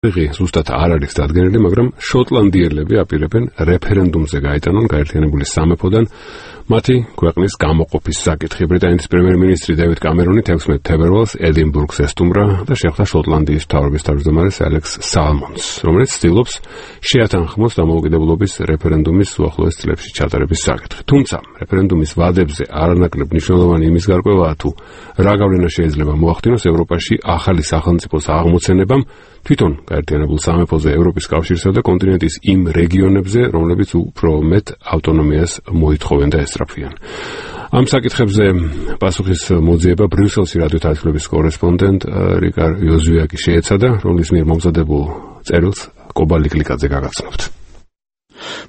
ზუსტად არ არის დადგენილი, მაგრამ შოტლანდიელები აპირებენ რეფერენდუმზე გაეტანონ გაერთიანებული სამეფოდან მათი ქვეყნის გამოყოფის საკითხი. ბრიტანეთის პრემიერ-მინისტრი დევიდ კამერონი 16 თებერვალს ედინბურგს ესტუმრა და შეხვდა შოტლანდიის მთავრობის თავმჯდომარეს ალექს სალმონს, რომელიც ცდილობს შეათანხმოს დამოუკიდებლობის რეფერენდუმის უახლოეს წლებში ჩატარების საკითხი. თუმცა რეფერენდუმის ვადებზე არანაკლებ მნიშვნელოვანი იმის გარკვევაა თუ რა გავლენა შეიძლება მოახდინოს ევროპაში ახალი სახელმწიფოს აღმოცენებამ თვითონ გაერთიანებულ სამეფოზე, ევროპის კავშირსა და კონტინენტის იმ რეგიონებზე, რომლებიც უფრო მეტ ავტონომიას მოითხოვენ და ესწრაფვიან. ამ საკითხებზე პასუხის მოძიება ბრიუსელში რადიო თარგმნების კორესპონდენტ რიკარ იოზვიაკი შეეცადა, რომლის მიერ მომზადებულ წერილს კობალი კლიკაძე გაგაცნობთ.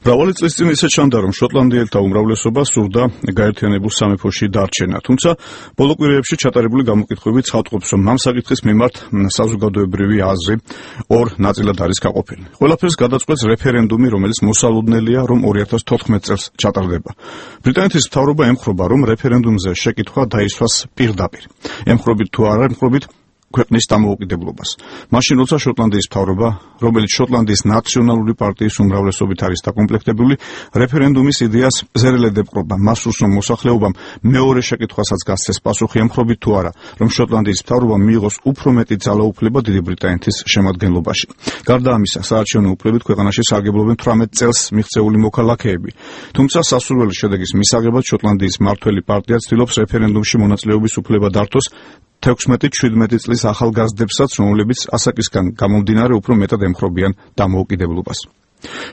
მრავალი წლის წინ ისე ჩანდა, რომ შოტლანდიელთა უმრავლესობა სურდა გაერთიანებულ სამეფოში დარჩენა. თუმცა ბოლო კვირაებში ჩატარებული გამოკითხვები ცხადყოფს, რომ ამ საკითხის მიმართ საზოგადოებრივი აზრი ორ ნაწილად არის გაყოფილი. ყველაფერს გადაწყვეტს რეფერენდუმი, რომელიც მოსალოდნელია, რომ 2014 წელს ჩატარდება. ბრიტანეთის მთავრობა ემხრობა, რომ რეფერენდუმზე შეკითხვა დაისვას პირდაპირ. ემხრობით თუ არა ემხრობით ქვეყნის დამოუკიდებლობას. მაშინ როცა შოტლანდიის მთავრობა, რომელიც შოტლანდიის ნაციონალური პარტიის უმრავლესობით არის დაკომპლექტებული, რეფერენდუმის იდეას ზერელედ ეპყრობა. მას სურს, რომ მოსახლეობამ მეორე შეკითხვასაც გასცეს პასუხი ემხრობით თუ არა, რომ შოტლანდიის მთავრობამ მიიღოს უფრო მეტი ძალაუფლება დიდი ბრიტანეთის შემადგენლობაში. გარდა ამისა, საარჩევნო უფლებით ქვეყანაში სარგებლობენ 18 წელს მიღწეული მოქალაქეები. თუმცა სასურველი შედეგის მისაღებად შოტლანდიის მმართველი პარტია ცდილობს რეფერენდუმში მონაწილეობის უფლება დართოს 16-17 წლის ახალგაზრდებსაც, რომლებიც ასაკისგან გამომდინარე უფრო მეტად ემხრობიან დამოუკიდებლობას.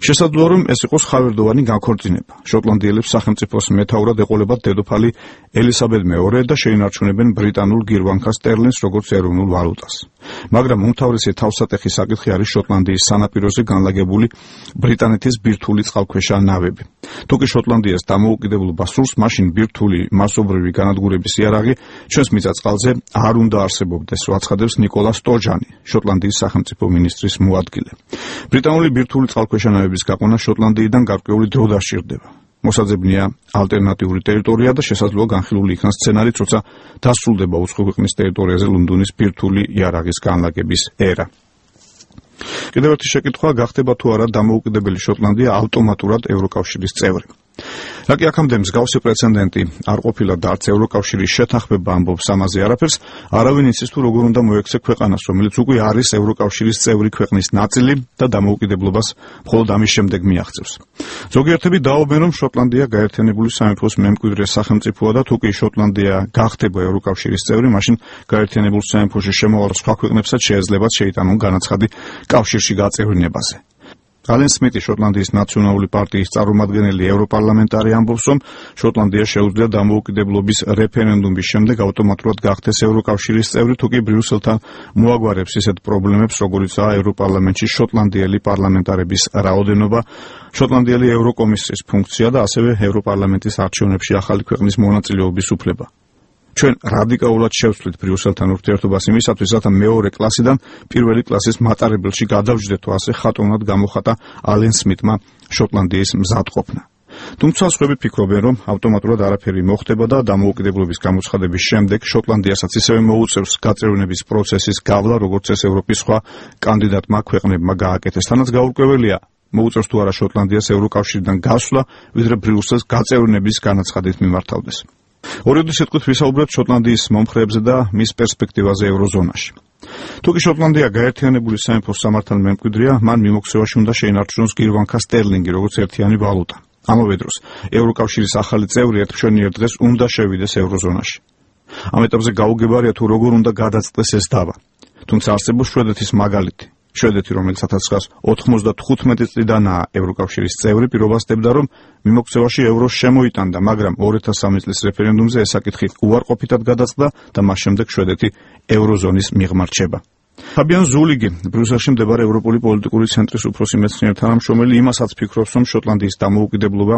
შესაძლოა, რომ ეს იყოს ხავერდოვანი განქორწინება. შოტლანდიელებს სახელმწიფოს მეთაურად ეყოლებათ დედოფალი ელისაბედ მეორე და შეინარჩუნებენ ბრიტანულ გირვანქა სტერლინს როგორც ეროვნულ ვალუტას. მაგრამ უმთავრესი თავსატეხი საკითხი არის შოტლანდიის სანაპიროზე განლაგებული ბრიტანეთის ბირთვული წყალქვეშა ნავები. თუკი შოტლანდიას დამოუკიდებლობა სურს, მაშინ ბირთვული მასობრივი განადგურების იარაღი ჩვენს მიწა-წყალზე არ უნდა არსებობდეს, აცხადებს ნიკოლა სტოჯანი, შოტლანდიის სახელმწიფო მინისტრის მოადგილე. ბრიტანული ბირთვული წყალქვეშა ნავების გაყვანა შოტლანდიიდან გარკვეული დრო დასჭირდება. მოსაძებნია ალტერნატიული ტერიტორია და შესაძლოა განხილული იქნას სცენარიც, როცა დასრულდება უცხო ქვეყნის ტერიტორიაზე ლონდონის ბირთვული იარაღის განლაგების ერა. კიდევ ერთი შეკითხვა, გახდება თუ არა დამოუკიდებელი შოტლანდია ავტომატურად ევროკავშირის წევრი. რა კი აქამდე მსგავსი პრეცედენტი არ ყოფილა და არც ევროკავშირის შეთანხმება ამბობს ამაზე არაფერს, არავინ იცის თუ როგორ უნდა მოექცე ქვეყანას, რომელიც უკვე არის ევროკავშირის წევრი ქვეყნის ნაწილი და დამოუკიდებლობას მხოლოდ ამის შემდეგ მიაღწევს. ზოგიერთები დაობენ, რომ შოტლანდია გაერთიანებული სამეფოს მემკვიდრე სახელმწიფოა და თუკი შოტლანდია გახდება ევროკავშირის წევრი, მაშინ გაერთიანებულ სამეფოში შემოვალ სხვა ქვეყნებსაც შეეძლებათ შეიტანონ განაცხადი კავშირში გაწევრინებაზე. ალენ სმიტი, შოტლანდიის ნაციონალური პარტიის წარმომადგენელი ევროპარლამენტარი ამბობს, რომ შოტლანდია შეუძლია დამოუკიდებლობის რეფერენდუმის შემდეგ ავტომატურად გახდეს ევროკავშირის წევრი, თუკი ბრიუსელთან მოაგვარებს ისეთ პრობლემებს, როგორიცაა ევროპარლამენტში შოტლანდიელი პარლამენტარების რაოდენობა, შოტლანდიელი ევროკომისრის ფუნქცია და ასევე ევროპარლამენტის არჩევნებში ახალი ქვეყნის მონაწილეობის უფლება. ჩვენ რადიკალურად შევცვლით ბრიუსელთან ურთიერთობას იმისათვის, რათა მეორე კლასიდან პირველი კლასის მატარებელში გადავჯდეთო, ასე ხატოვნად გამოხატა ალენ სმიტმა შოტლანდიის მზადყოფნა. თუმცა სხვები ფიქრობენ, რომ ავტომატურად არაფერი მოხდება და დამოუკიდებლობის გამოცხადების შემდეგ შოტლანდიასაც ისევე მოუწევს გაწევრინების პროცესის გავლა, როგორც ეს ევროპის სხვა კანდიდატმა ქვეყნებმა გააკეთეს. თანაც გაურკვეველია, მოუწევს თუ არა შოტლანდიას ევროკავშირიდან გასვლა, ვიდრე ბრიუსელს გაწევრინების განაცხადით მიმართავდეს. ორიოდე სიტყვით ვისაუბრებთ შოტლანდიის მომხრეებზე და მის პერსპექტივაზე ევროზონაში. თუკი შოტლანდია გაერთიანებული სამეფოს სამართალ მემკვიდრეა, მან მიმოქცევაში უნდა შეინარჩუნოს გირვანქა სტერლინგი, როგორც ერთიანი ვალუტა. ამავე დროს, ევროკავშირის ახალი წევრი ერთმშვენიერ დღეს უნდა შევიდეს ევროზონაში. ამ ეტაპზე გაუგებარია თუ როგორ უნდა გადაწყდეს ეს დავა. თუმცა არსებობს შვედეთის მაგალითი. შვედეთი, რომელიც 1995 წლიდანაა ევროკავშირის წევრი, პირობასდებდა, რომ მიმოქცევაში ევროს შემოიტანდა, მაგრამ 2003 წლის რეფერენდუმზე ეს საკითხი უარყოფითად გადაწყდა და მას შემდეგ შვედეთი ევროზონის მიღმა რჩება. ფაბიან ზულიგი, ბრიუსელში მდებარე ევროპული პოლიტიკური ცენტრის უფროსი მეცნიერი თანამშრომელი, იმასაც ფიქრობს, რომ შოტლანდიის დამოუკიდებლობა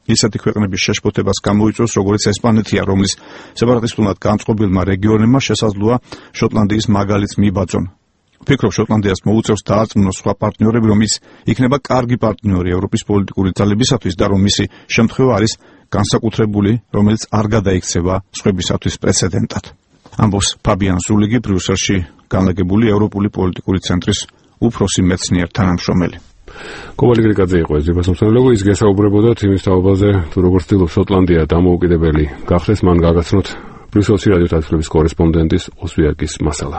ისეთი ქვეყნების შეშფოთებას გამოიწვევს, როგორც ესპანეთია, რომლის სეპარატისტულად განწყობილმა რეგიონებმა შესაძლოა შოტლანდიის მაგალითს მიიბაძონ. ფიქრობ, შოტლანდიას მოუწევს დაარწმუნოს სხვა პარტნიორები, რომ ის იქნება კარგი პარტნიორი ევროპის პოლიტიკური ძალებისათვის და რომ მისი შემთხვევა არის განსაკუთრებული, რომელიც არ გადაიქცევა სხვებისათვის პრეცედენტად. ამბობს ფაბიან ზულიგი, ბრიუსელში განლაგებული ევროპული პოლიტიკური ცენტრის უფროსი მეცნიერ თანამშრომელი. კობალი გრიგაძე იყო ეს ძვირფასმცემლები, ის გესაუბრებოდათ იმის თაობაზე, თუ როგორ ცდილობს შოტლანდია დამოუკიდებელი გახდეს, მან გაგაცნოთ ბრიუსელში რადიო თათბირობის კორესპონდენტის ოსვიაკის მასალა.